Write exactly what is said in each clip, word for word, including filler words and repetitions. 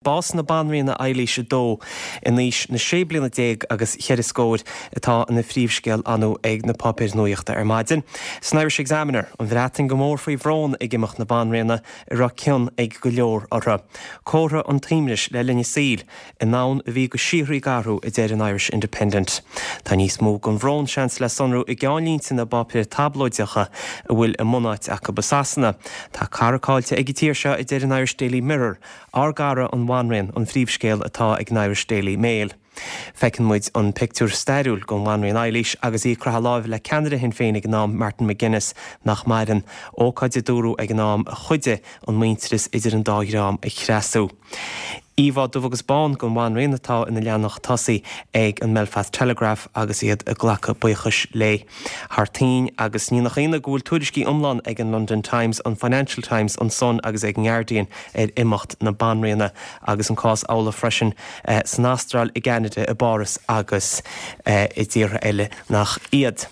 Bás na Banríona Eilís a Dó in aois na sé bliana déag agus cheithre scór atá ina phríomhscéal inniu ag na páipéir nuachta ar maidin. San Irish Examiner, an Bhreatain go mór faoi bhrón ag imeacht na Banríona a raibh cion ag go leor orthu. Comhartha an tsuaimhnis le linn a saoil, i ndomhan a bhí go síoraí ag athrú a deir an Irish Independent. Tá níos mó den bhrón seans le sonrú i gceannlínte na bpáipéar tablóideacha a bhfuil a mbunáit acu i Sasana. Tá cara caillte ag an tír seo a deir an Irish Daily Mirror, ár gcara an Bhanríon an phríomhscéal atá ag an Irish Daily Mail. Feiceann muid an pictiúr stairiúil den Bhanríon Eilís agus í ag croitheadh láimhe le ceannaire Shinn Féin ag an am Martin McGuinness nach maireann ócáid a dúradh ag an am a chuidigh an muintearas idir an dá dhream a chreasú. Íomhá dubh agus bán den Bhanríon atá ina leathanach tosaigh ag an Belfast Telegraph agus iad ag glacadh buíochais léi. Thar toinn agus ní nach ionadh go bhfuil tuairiscí iomlán ag an London Times, an Financial Times, an Sun agus ag an Guardian ar imeacht na Banríona agus an cás amhlaidh freisin eh, san Astráil i gCeanada i bPáras agus eh, i dtíortha eile nach iad.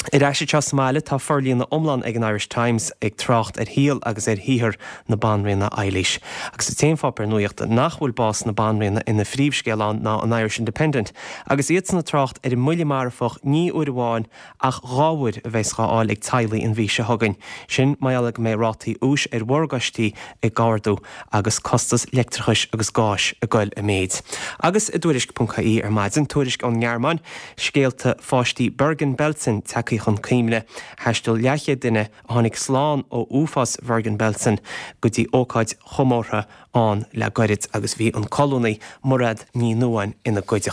Ar ais anseo sa mbaile tá forlíonadh iomlán ag an Irish Times ag trácht ar shaol agus ar shaothar na Banríona Eilís. Agus an t-aon pháipéar nuachta nach bhfuil bás na Banríona ina phríomhscéal ann ná an Irish Independent, agus iad san ag trácht ar an mbuille marfach ní uair amháin ach dhá uair a bheas á fháil ag teaghlaigh an mhí seo chugainn. Sin mar gheall go mbeidh rátaí úis ar mhorgáistí ag ardú agus costas leictreachais agus gáis ag dul i méid. Agus i dtuairisc.ie ar maidin tuairisc ón nGearmáin, scéalta pháistí Bergen-Belsen tagtha chun cuimhne thaistil leathchéad duine a tháinig slán ó uafás Bergen-Belsen go dtí ócáid chomórtha ann le gairid agus bhí an colúnaí Mairéad Ní Nuadháin ina gcuideachta.